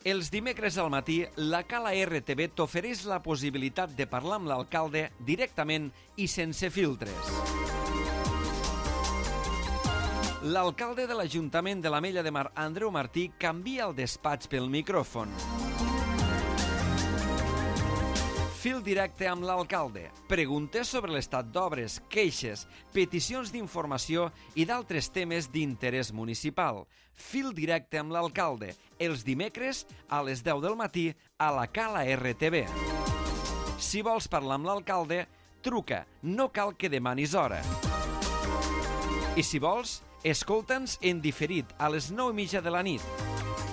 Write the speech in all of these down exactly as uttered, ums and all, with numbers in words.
Els dimecres al matí, la Cala R T V t'ofereix la possibilitat de parlar amb l'alcalde directament i sense filtres. L'alcalde de l'Ajuntament de l'Ametlla de Mar, Andreu Martí, canvia el despatx pel micròfon. Fil directe amb l'alcalde. Preguntes sobre l'estat d'obres, queixes, peticions d'informació i d'altres temes d'interès municipal. Fil directe amb l'alcalde. Els dimecres a les deu del matí a la Cala R T V. Si vols parlar amb l'alcalde, truca. No cal que demanis hora. I si vols, escolta'ns en diferit a les nou i mitja de la nit.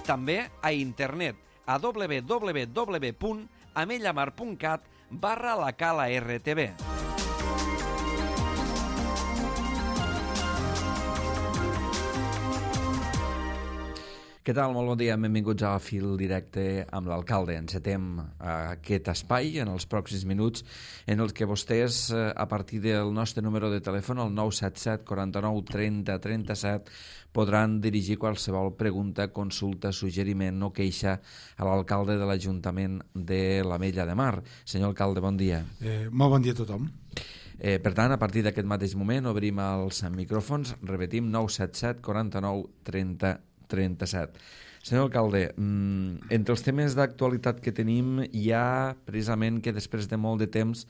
També a internet a w w w punt amellamar punt cat barra la Cala R T V. Què tal? Molt bon dia. Benvinguts a Fil Directe amb l'alcalde. Encetem aquest espai en els pròxims minuts en els que vostès, a partir del nostre número de telèfon, el nou set set quaranta-nou trenta trenta-set, podran dirigir qualsevol pregunta, consulta, suggeriment o queixa a l'alcalde de l'Ajuntament de l'Ametlla de Mar. Senyor alcalde, bon dia. Eh, molt bon dia a tothom. Eh, per tant, a partir d'aquest mateix moment obrim els micròfons, repetim, nou set set quaranta-nou trenta trenta-set. Senyor alcalde, entre els temes d'actualitat que tenim hi ha precisament que després de molt de temps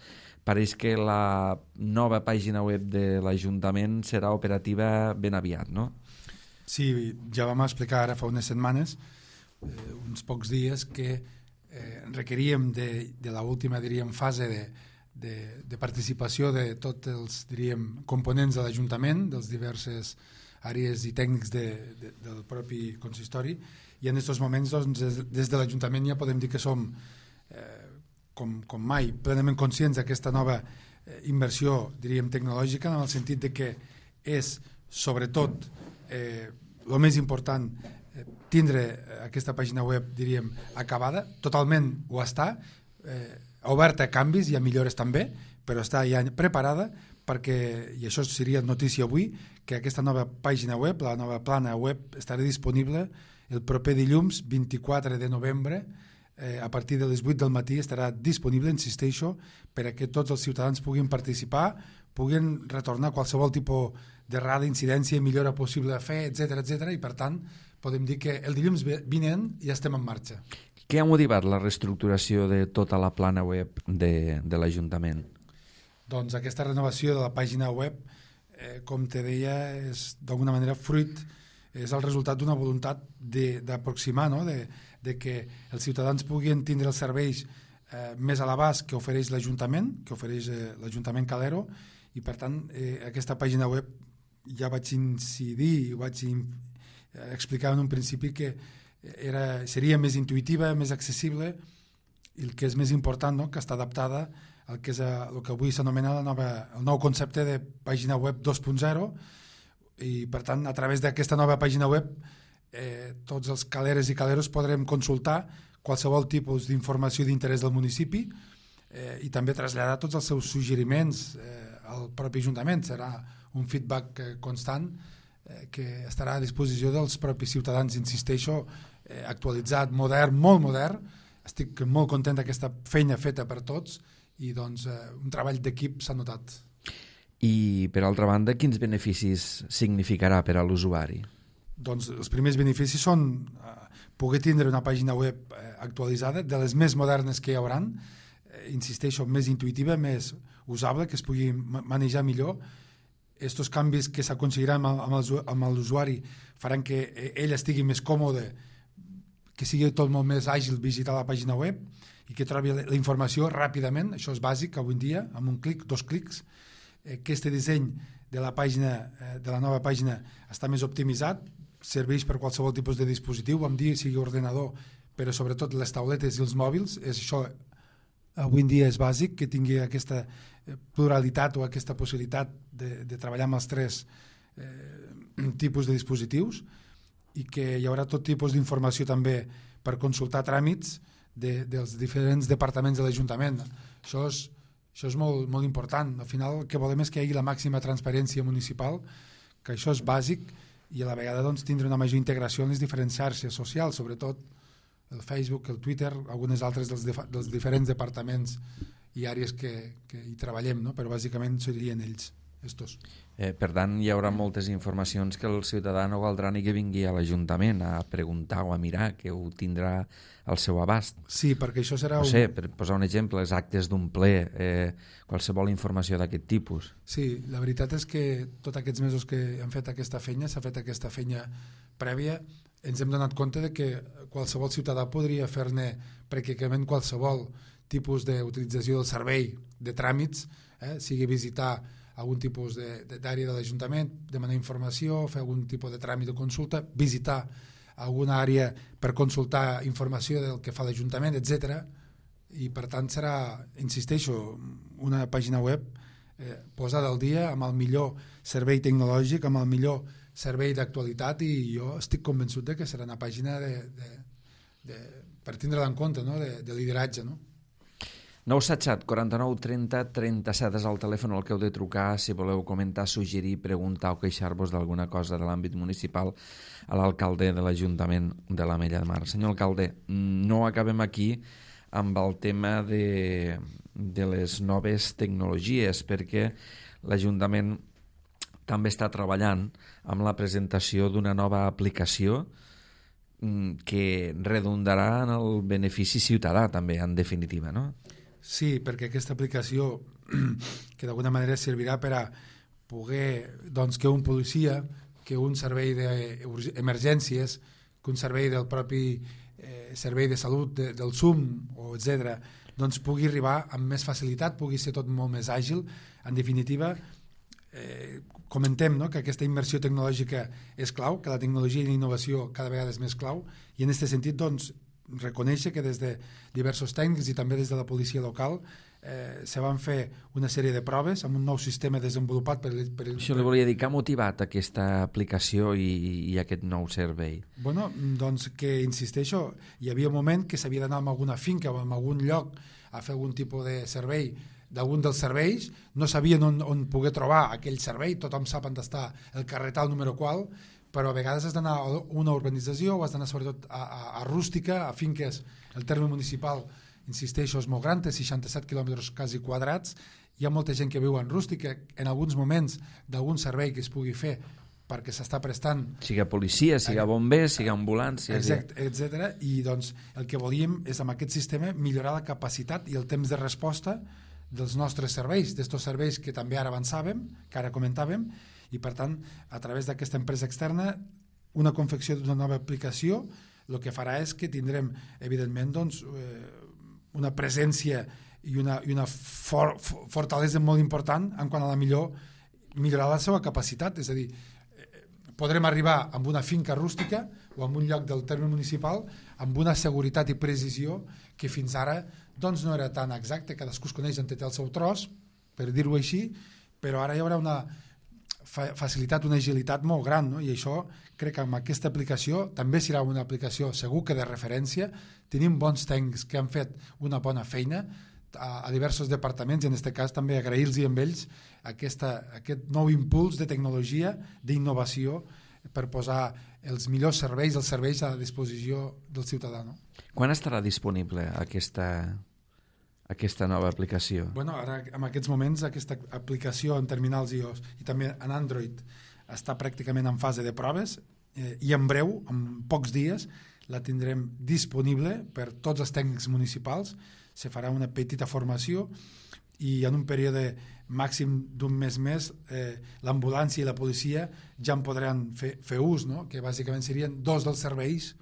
pareix que la nova pàgina web de l'Ajuntament serà operativa ben aviat, no? Sí, ja vam explicar ara fa unes setmanes, eh, uns pocs dies, que eh, requeríem de, de l'última, diríem, fase de, de, de participació de tots els, diríem, components de l'Ajuntament, dels diverses àrees i tècnics de, de, del propi consistori, i en aquests moments doncs, des, des de l'Ajuntament ja podem dir que som eh, com, com mai plenament conscients d'aquesta nova eh, inversió, diríem, tecnològica, en el sentit de que és sobretot eh, el més important eh, tindre aquesta pàgina web, diríem, acabada, totalment ho està, eh, oberta a canvis i a millores també, però està ja preparada perquè, i això seria notícia avui, que aquesta nova pàgina web, la nova plana web, estarà disponible el proper dilluns vint-i-quatre de novembre, eh, a partir de les vuit del matí estarà disponible, insisteixo, per a que tots els ciutadans puguin participar, puguin retornar qualsevol tipus d'errada, incidència i millora possible a fer, etcètera, etcètera, i per tant podem dir que el dilluns vinent ja estem en marxa. Què ha motivat la reestructuració de tota la plana web de, de l'Ajuntament? Doncs aquesta renovació de la pàgina web, eh, com te deia, és d'alguna manera fruit, és el resultat d'una voluntat d'aproximar, no? de, de que els ciutadans puguin tindre els serveis eh, més a l'abast que ofereix l'Ajuntament, que ofereix eh, l'Ajuntament Calero, i per tant eh, aquesta pàgina web ja vaig incidir, vaig in, eh, explicar en un principi que era, seria més intuïtiva, més accessible, i el que és més important, no? Que està adaptada el que és el que avui s'anomena la nova, el nou concepte de pàgina web dos punt zero, i per tant a través d'aquesta nova pàgina web eh, tots els caleres i caleros podrem consultar qualsevol tipus d'informació d'interès del municipi eh, i també traslladar tots els seus suggeriments eh, al propi Ajuntament. Serà un feedback eh, constant eh, que estarà a disposició dels propis ciutadans, insisteixo, eh, actualitzat, modern, molt modern. Estic molt content d'aquesta feina feta per tots i doncs eh, un treball d'equip s'ha notat. I per altra banda, quins beneficis significarà per a l'usuari? Doncs els primers beneficis són eh, poder tindre una pàgina web eh, actualitzada, de les més modernes que hi haurà, eh, insisteixo, més intuïtiva, més usable, que es pugui manejar millor. Estos canvis que s'aconseguiran amb l'usuari faran que ell estigui més còmode, que sigui tot molt més àgil visitar la pàgina web i que trobi la informació ràpidament. Això és bàsic avui en dia, amb un clic, dos clics. Aquest disseny de la pàgina, de la nova pàgina està més optimitzat, serveix per qualsevol tipus de dispositiu, vam dir sigui ordenador, però sobretot les tauletes i els mòbils. És això, avui en dia és bàsic, que tingui aquesta pluralitat o aquesta possibilitat de, de treballar amb els tres eh, tipus de dispositius, i que hi haurà tot tipus d'informació també per consultar tràmits de, dels diferents departaments de l'Ajuntament. Això és, això és molt, molt important. Al final el que volem és que hi hagi la màxima transparència municipal, que això és bàsic, i a la vegada doncs, tindre una major integració en les diferents xarxes socials, sobretot el Facebook, el Twitter, algunes altres dels, dels diferents departaments i àrees que, que hi treballem, no? Però bàsicament serien ells, estos. Eh, per tant, hi haurà moltes informacions que el ciutadà no caldrà ni que vingui a l'Ajuntament a preguntar o a mirar, que ho tindrà al seu abast. Sí, perquè això serà... No sé, per posar un exemple, els actes d'un ple, eh, qualsevol informació d'aquest tipus. Sí, la veritat és que tots aquests mesos que hem fet aquesta feina, s'ha fet aquesta feina prèvia, ens hem donat compte de que qualsevol ciutadà podria fer-ne pràcticament qualsevol tipus d'utilització del servei de tràmits, eh, sigui visitar algun tipus d'àrea de l'Ajuntament, demanar informació, fer algun tipus de tràmit o consulta, visitar alguna àrea per consultar informació del que fa l'Ajuntament, etcètera. I per tant serà, insisteixo, una pàgina web eh, posada al dia amb el millor servei tecnològic, amb el millor servei d'actualitat, i jo estic convençut de que serà una pàgina de, de, de, per tindre-la en compte, no? de, de lideratge, no? nou set set, quaranta-nou, trenta, trenta-set és el telèfon al que heu de trucar si voleu comentar, suggerir, preguntar o queixar-vos d'alguna cosa de l'àmbit municipal a l'alcalde de l'Ajuntament de l'Ametlla de Mar. Senyor alcalde, no acabem aquí amb el tema de, de les noves tecnologies, perquè l'Ajuntament també està treballant amb la presentació d'una nova aplicació que redundarà en el benefici ciutadà també, en definitiva, no? Sí, perquè aquesta aplicació que d'alguna manera servirà per a poder, doncs, que un policia, que un servei d'emergències, que un servei del propi eh, servei de salut de, del S U M, o etcètera, doncs pugui arribar amb més facilitat, pugui ser tot molt més àgil. En definitiva, eh, comentem, no?, que aquesta inversió tecnològica és clau, que la tecnologia i la innovació cada vegada és més clau, i en aquest sentit, doncs, reconèixer que des de diversos tècnics i també des de la policia local eh, se van fer una sèrie de proves amb un nou sistema desenvolupat per... per Això li volia dir, que ha motivat aquesta aplicació i, i aquest nou servei? Bueno, doncs que, insisteixo, hi havia un moment que s'havia d'anar a alguna finca o a algun lloc a fer algun tipus de servei d'algun dels serveis, no sabien on, on poder trobar aquell servei, tothom sap on està el carretal número qual, però a vegades has d'anar a una urbanització o has d'anar sobretot a, a, a rústica, a finques. El terme municipal, insisteixo, és molt gran, té seixanta-set quilòmetres quasi quadrats, hi ha molta gent que viu en rústica, en alguns moments d'algun servei que es pugui fer perquè s'està prestant... Siga policia, siga bombers, siga ambulància... Exacte, etcètera. I doncs el que volíem és amb aquest sistema millorar la capacitat i el temps de resposta dels nostres serveis, d'estos serveis que també ara avançàvem, que ara comentàvem, i per tant, a través d'aquesta empresa externa, una confecció d'una nova aplicació, el que farà és que tindrem, evidentment, doncs, eh, una presència i una, i una for, fortalesa molt important en quant a la millor millorar la seva capacitat, és a dir, eh, podrem arribar amb una finca rústica o amb un lloc del terme municipal amb una seguretat i precisió que fins ara doncs, no era tan exacte, cadascú es coneix on té el seu tros, per dir-ho així, però ara hi haurà una facilitat, una agilitat molt gran, no? I això crec que amb aquesta aplicació també serà una aplicació segur que de referència. Tenim bons tècnics que han fet una bona feina a, a diversos departaments i en aquest cas també agrair-los amb ells aquesta, aquest nou impuls de tecnologia, d'innovació per posar els millors serveis, els serveis a la disposició del ciutadà, no? Quan estarà disponible aquesta aquesta nova aplicació? Bueno, ara, en aquests moments, aquesta aplicació en terminals iOS i també en Android està pràcticament en fase de proves eh, i en breu, en pocs dies, la tindrem disponible per tots els tècnics municipals. Se farà una petita formació i en un període màxim d'un mes més eh, l'ambulància i la policia ja en podran fer, fer ús, no? Que bàsicament serien dos dels serveis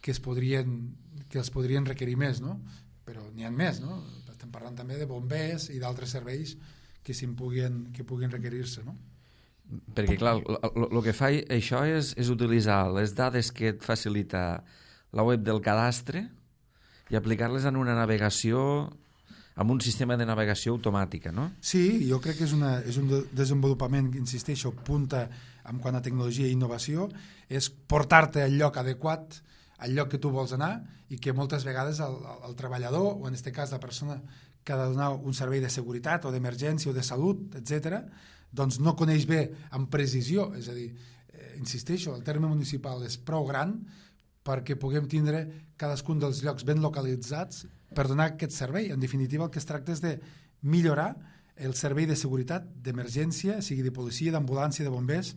que es podrien, que els podrien requerir més, no? Però n'hi ha més, no? Estem parlant també de bombers i d'altres serveis que, puguin, que puguin requerir-se, no? Perquè, clar, el que fa això és, és utilitzar les dades que et facilita la web del cadastre i aplicar-les en una navegació, amb un sistema de navegació automàtica, no? Sí, jo crec que és, una, és un desenvolupament, insisteixo, punta en quant a tecnologia i innovació, és portar-te al lloc adequat, al lloc que tu vols anar, i que moltes vegades el, el treballador, o en aquest cas la persona que ha de donar un servei de seguretat o d'emergència o de salut, etcètera, doncs no coneix bé amb precisió. És a dir, eh, insisteixo, el terme municipal és prou gran perquè puguem tindre cadascun dels llocs ben localitzats per donar aquest servei. En definitiva, el que es tracta és de millorar el servei de seguretat d'emergència, sigui de policia, d'ambulància, de bombers,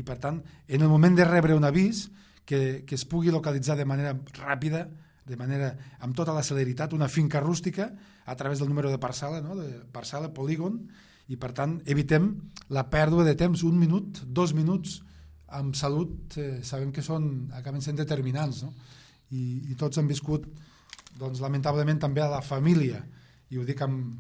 i per tant, en el moment de rebre un avís, que, que es pugui localitzar de manera ràpida, de manera, amb tota la celeritat, una finca rústica a través del número de parcel·la, no? de parcel·la, polígon, i per tant evitem la pèrdua de temps, un minut, dos minuts, amb salut, eh, sabem que són, acaben sent determinants, no? I, i tots han viscut, doncs, lamentablement també a la família, i ho dic amb,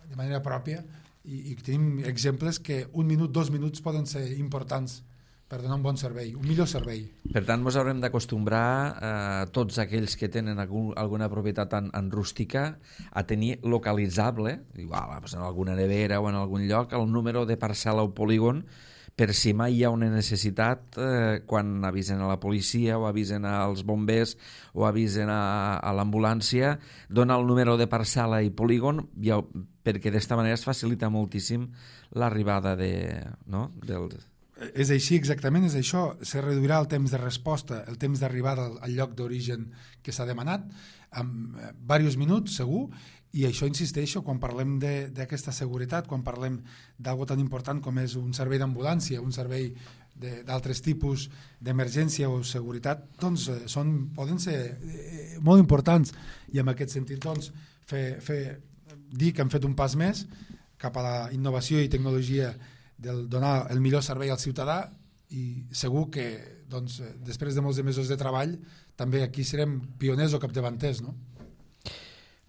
de manera pròpia, i, i tenim exemples que un minut, dos minuts poden ser importants per donar un bon servei, un millor servei. Per tant, ens haurem d'acostumbrar eh, tots aquells que tenen algun, alguna propietat en, en rústica a tenir localitzable, igual, en alguna nevera o en algun lloc, el número de parcel·la o polígon, per si mai hi ha una necessitat, eh, quan avisen a la policia o avisen als bombers o avisen a, a l'ambulància, dona el número de parcel·la i polígon, ja, perquè d'esta manera es facilita moltíssim l'arribada de, no? del... És així, exactament, és això. Se reduirà el temps de resposta, el temps d'arribada al, al lloc d'origen que s'ha demanat, en eh, diversos minuts, segur, i això, insisteixo, quan parlem d'aquesta seguretat, quan parlem d'algo tan important com és un servei d'ambulància, un servei d'altres tipus d'emergència o seguretat, doncs eh, són, poden ser eh, molt importants, i en aquest sentit doncs, fer, fer, dir que hem fet un pas més cap a la innovació i tecnologia del donar el millor servei al ciutadà, i segur que doncs, després de molts de mesos de treball també aquí serem pioners o capdavanters, no?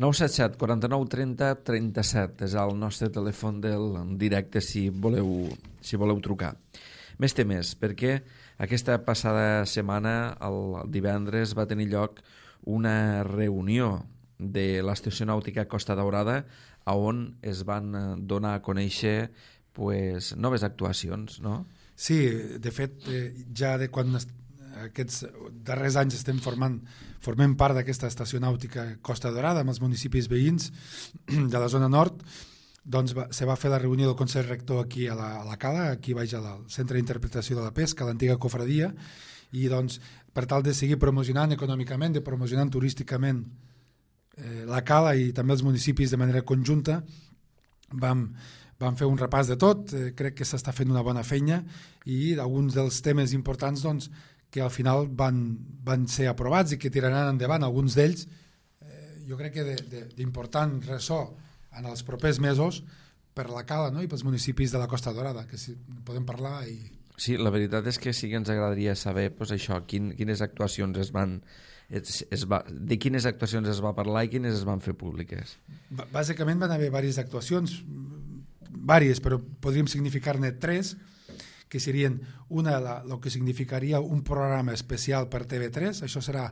nou set set, quaranta-nou, trenta, trenta-set és el nostre telèfon del directe si voleu, si voleu trucar. Més temes, perquè aquesta passada setmana, el divendres, va tenir lloc una reunió de l'Estació Nàutica Costa Daurada on es van donar a conèixer pues, noves actuacions, no? Sí, de fet, eh, ja de quan est- aquests darrers anys estem formant, formem part d'aquesta estació nàutica Costa Daurada amb els municipis veïns de la zona nord, doncs va, se va fer la reunió del Consell Rector aquí a la, a la Cala, aquí baix al Centre d'Interpretació de la Pesca, a l'antiga cofradia, i doncs per tal de seguir promocionant econòmicament, de promocionant turísticament eh, la Cala i també els municipis de manera conjunta, vam Vam fer un repàs de tot, eh, crec que s'està fent una bona feina, i alguns dels temes importants doncs, que al final van, van ser aprovats i que tiraran endavant, alguns d'ells, eh, jo crec que d'important ressò en els propers mesos per la Cala, no? I pels municipis de la Costa Daurada, que si podem parlar. I... Sí, la veritat és que sí que ens agradaria saber pues, això, quin, quines actuacions es van... Es, es va, de quines actuacions es va parlar i quines es van fer públiques. B- bàsicament van haver diverses actuacions, vàries, però podríem significar-ne tres, que serien una, la, el que significaria un programa especial per T V tres, això serà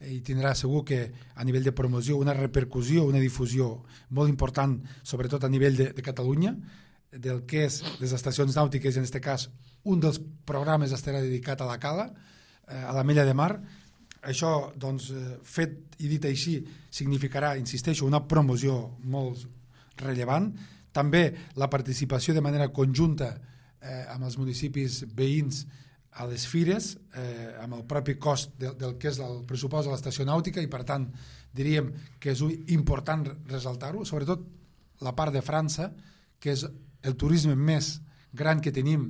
i tindrà segur que a nivell de promoció una repercussió, una difusió molt important, sobretot a nivell de, de Catalunya, del que és les estacions nàutiques, i en aquest cas un dels programes estarà dedicat a la Cala, eh, a la Mella de Mar. Això, doncs, fet i dit així, significarà, insisteixo, una promoció molt rellevant. També la participació de manera conjunta eh, amb els municipis veïns a les fires, eh, amb el propi cost de, del que és el pressupost de l'estació nàutica, i per tant diríem que és important ressaltar-ho, sobretot la part de França, que és el turisme més gran que tenim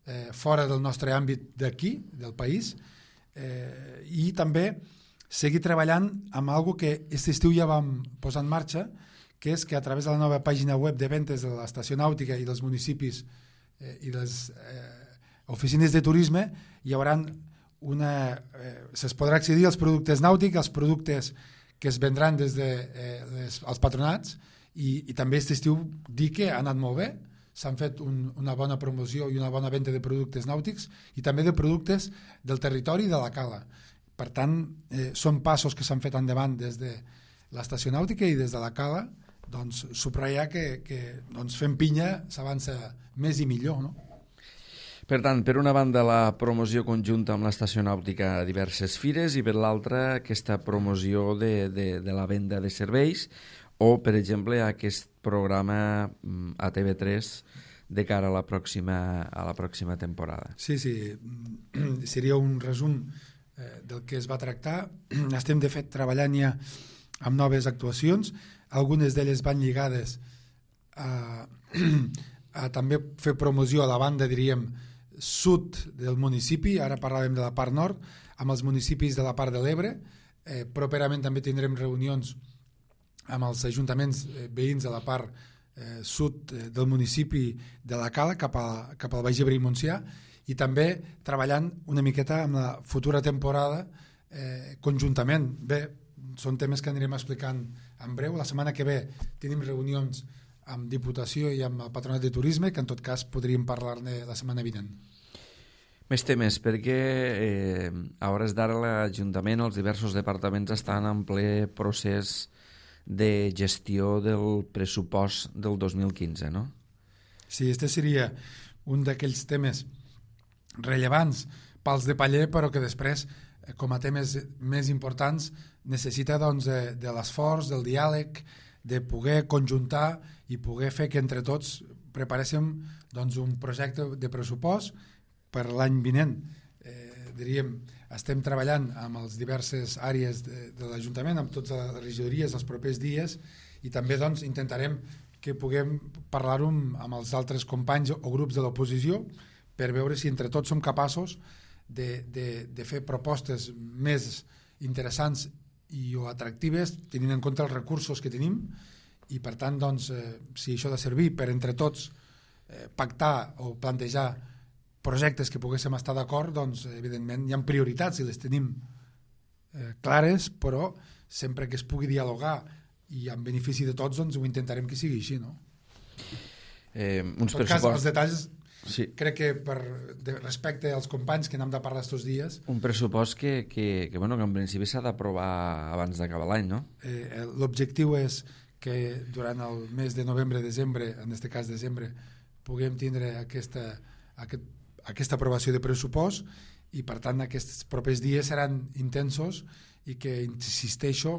eh, fora del nostre àmbit d'aquí, del país, eh, i també seguir treballant amb algo que aquest estiu ja vam posar en marxa, que és que a través de la nova pàgina web de ventes de l'estació nàutica i dels municipis eh, i les eh, oficines de turisme hi haurà una... Eh, se'ls podrà accedir als productes nàutics, als productes que es vendran des dels de, eh, els patronats, i, i també aquest estiu dir que ha anat molt bé, s'han fet un, una bona promoció i una bona venda de productes nàutics i també de productes del territori de la Cala. Per tant, eh, són passos que s'han fet endavant des de l'estació nàutica i des de la Cala, doncs subratllar que, que doncs, fent pinya s'avança més i millor, no? Per tant, per una banda la promoció conjunta amb l'estació nàutica a diverses fires i per l'altra aquesta promoció de, de, de la venda de serveis o, per exemple, aquest programa a T V tres de cara a la pròxima, a la pròxima temporada. Sí, sí, seria un resum eh, del que es va tractar. Estem, de fet, treballant ja amb noves actuacions. Algunes d'elles van lligades a, a també fer promoció a la banda, diríem, sud del municipi. Ara parlàvem de la part nord, amb els municipis de la part de l'Ebre. Eh, properament també tindrem reunions amb els ajuntaments eh, veïns de la part eh, sud eh, del municipi de la Cala, cap, a, cap al Baix Ebre i Montsià, i també treballant una miqueta amb la futura temporada eh, conjuntament. Bé, són temes que anirem explicant en breu. La setmana que ve tenim reunions amb Diputació i amb el Patronat de Turisme, que en tot cas podríem parlar-ne la setmana vinent. Més temes, perquè eh, a hores d'ara l'Ajuntament, els diversos departaments estan en ple procés de gestió del pressupost del dos mil quinze, no? Sí, este seria un d'aquells temes rellevants pels de paller, però que després, com a temes més importants, necessita doncs, de, de l'esforç, del diàleg, de poder conjuntar i poder fer que entre tots preparéssim doncs, un projecte de pressupost per l'any vinent. Eh, diríem, estem treballant amb les diverses àrees de, de l'Ajuntament, amb totes les regidories els propers dies, i també doncs, intentarem que puguem parlar-ho amb els altres companys o grups de l'oposició per veure si entre tots som capaços de, de, de fer propostes més interessants i o atractives, tenint en compte els recursos que tenim, i per tant, doncs, eh, si això ha de servir per entre tots eh, pactar o plantejar projectes que poguéssim estar d'acord, doncs evidentment hi ha prioritats i les tenim eh, clares, però sempre que es pugui dialogar i en benefici de tots, doncs ho intentarem que sigui així, no? Eh, uns en tot cas, els detalls, sí. Crec que per de respecte als companys que n'hem de parlar estos dies... Un pressupost que, que, que, bueno, que en principi s'ha d'aprovar abans d'acabar l'any, no? Eh, l'objectiu és que durant el mes de novembre-desembre, en aquest cas desembre, puguem tindre aquesta, aquest aquesta aprovació de pressupost, i per tant aquests propers dies seran intensos i que, insisteixo,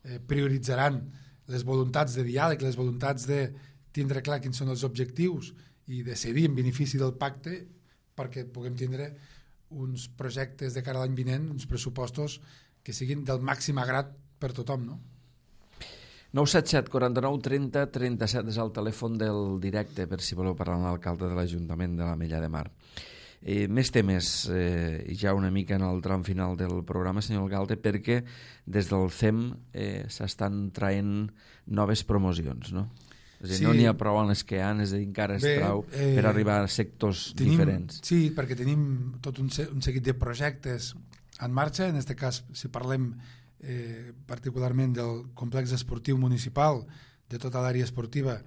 eh, prioritzaran les voluntats de diàleg, les voluntats de tindre clar quins són els objectius i de cedir en benefici del pacte perquè puguem tindre uns projectes de cara a l'any vinent, uns pressupostos que siguin del màxim agrat per tothom, no? nou set set quaranta-nou trenta trenta-set és el telèfon del directe per si voleu parlar amb l'alcalde de l'Ajuntament de l'Ametlla de Mar. Eh, més temes, eh, ja una mica en el tram final del programa, senyor alcalde, perquè des del C E M eh, s'estan traient noves promocions, no? És a dir, sí. No n'hi ha prou en les que hi ha, és a dir, encara és prou eh, per arribar a sectors tenim, diferents. Sí, perquè tenim tot un, un seguit de projectes en marxa. En aquest cas, si parlem Eh, particularment del complex esportiu municipal, de tota l'àrea esportiva,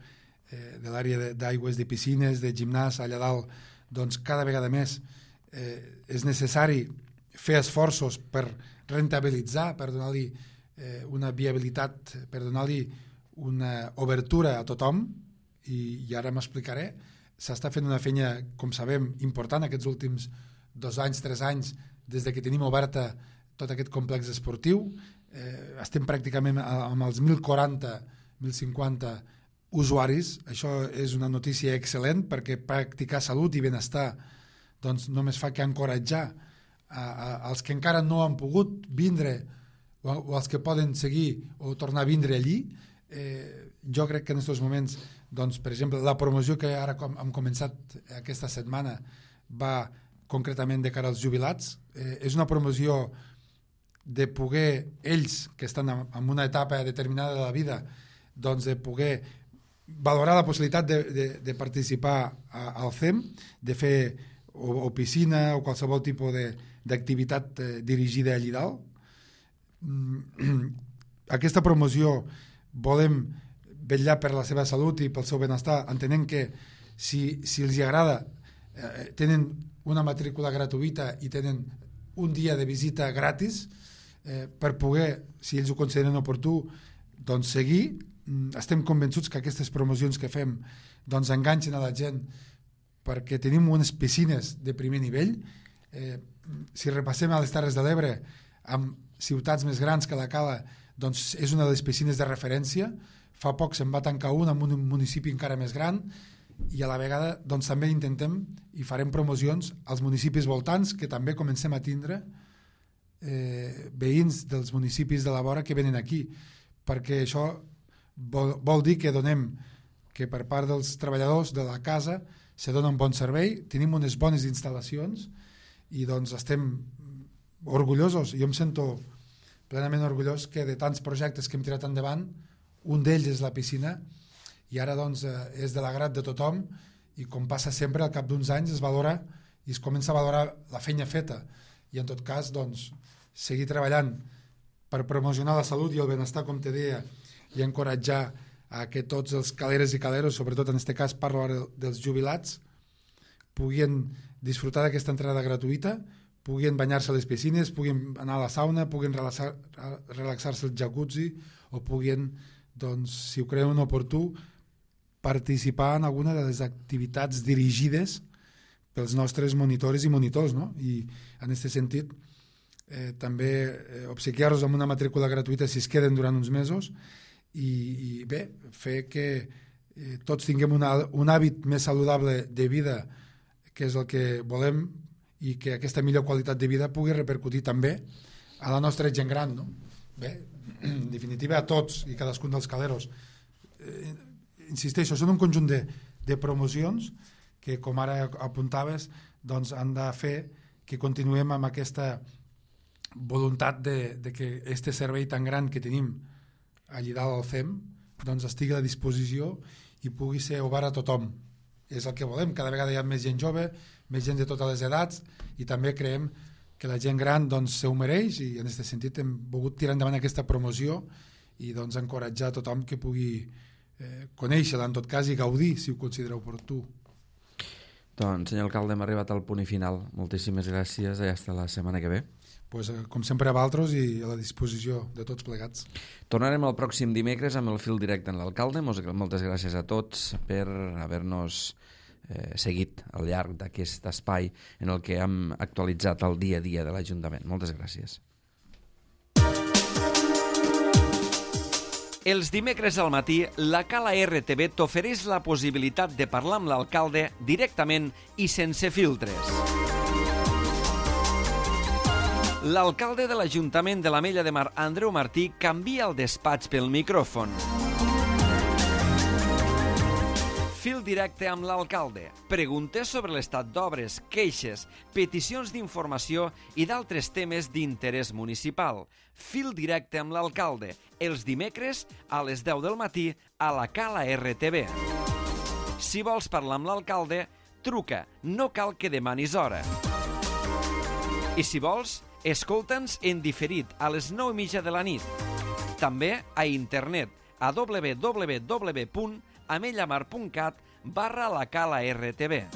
eh, de l'àrea d'aigües, de piscines, de gimnàs allà dalt, doncs cada vegada més eh, és necessari fer esforços per rentabilitzar, per donar-li eh, una viabilitat, per donar-li una obertura a tothom, i, i ara m'explicaré. S'està fent una feina, com sabem, important aquests últims dos anys, tres anys, des de que tenim oberta tot aquest complex esportiu. Eh, estem pràcticament amb els mil quaranta, mil cinquanta usuaris. Això és una notícia excel·lent, perquè practicar salut i benestar doncs només fa que encoratjar a, a, als que encara no han pogut vindre o, o als que poden seguir o tornar a vindre allí. Eh, jo crec que en aquests moments, doncs, per exemple, la promoció que ara com, hem començat aquesta setmana va concretament de cara als jubilats. Eh, és una promoció de poder, ells que estan en una etapa determinada de la vida, doncs de poder valorar la possibilitat de, de, de participar a, al C E M, de fer o, o piscina o qualsevol tipus d'activitat eh, dirigida allí dalt. Mm, aquesta promoció volem vetllar per la seva salut i pel seu benestar, entenent que si, si els agrada eh, tenen una matrícula gratuïta i tenen un dia de visita gratis, Eh, per poder, si ells ho consideren oportú, doncs seguir. Estem convençuts que aquestes promocions que fem doncs enganxen a la gent, perquè tenim unes piscines de primer nivell. Eh, si repassem a les Terres de l'Ebre, amb ciutats més grans que la Cala, doncs és una de les piscines de referència. Fa poc se'n va tancar una en un municipi encara més gran, i a la vegada doncs, també intentem i farem promocions als municipis voltants, que també comencem a tindre eh, veïns dels municipis de la vora que venen aquí, perquè això vol, vol dir que donem que per part dels treballadors de la casa se dona un bon servei, tenim unes bones instal·lacions i doncs estem orgullosos. Jo em sento plenament orgullós que de tants projectes que hem tirat endavant, un d'ells és la piscina i ara doncs és de l'agrat de tothom i com passa sempre al cap d'uns anys es valora i es comença a valorar la feina feta i en tot cas doncs seguir treballant per promocionar la salut i el benestar, com te deia, i encoratjar a que tots els caleres i caleros, sobretot en aquest cas parlo ara dels jubilats, puguin disfrutar d'aquesta entrada gratuïta, puguin banyar-se a les piscines, puguin anar a la sauna, puguin relaxar, relaxar-se al jacuzzi o puguin, doncs, si ho creuen oportú, participar en alguna de les activitats dirigides pels nostres monitores i monitors, no? I en aquest sentit eh, també eh, obsequiar-los amb una matrícula gratuïta si es queden durant uns mesos i, i bé, fer que eh, tots tinguem una, un hàbit més saludable de vida, que és el que volem, i que aquesta millor qualitat de vida pugui repercutir també a la nostra gent gran, no? Bé, en definitiva a tots i cadascun dels caleros. Eh, insisteixo, són un conjunt de, de promocions que, com ara apuntaves, doncs han de fer que continuem amb aquesta voluntat de, de que este servei tan gran que tenim allà dalt al C E M doncs estigui a la disposició i pugui ser obert a tothom. És el que volem, cada vegada hi ha més gent jove, més gent de totes les edats i també creiem que la gent gran doncs se ho mereix i en aquest sentit hem volgut tirar endavant aquesta promoció i doncs encoratjar a tothom que pugui eh, conèixer-la en tot cas i gaudir si ho considera oportú. Doncs, senyor alcalde, hem arribat al punt i final. Moltíssimes gràcies i fins la setmana que ve. Pues, com sempre a vosaltres i a la disposició de tots plegats. Tornarem el pròxim dimecres amb el fil directe en l'alcalde. Moltes gràcies a tots per haver-nos eh, seguit al llarg d'aquest espai en el que hem actualitzat el dia a dia de l'Ajuntament. Moltes gràcies. Els dimecres al matí, la Cala R T V t'ofereix la possibilitat de parlar amb l'alcalde directament i sense filtres. L'alcalde de l'Ajuntament de l'Ametlla de Mar, Andreu Martí, canvia el despatx pel micròfon. Fil directe amb l'alcalde. Preguntes sobre l'estat d'obres, queixes, peticions d'informació i d'altres temes d'interès municipal. Fil directe amb l'alcalde. Els dimecres a les deu del matí a la Cala R T V. Si vols parlar amb l'alcalde, truca. No cal que demanis hora. I si vols, escolta'ns en diferit a les nou i mitja de la nit. També a internet a w w w punt amellamar punt cat barra la Cala R T V.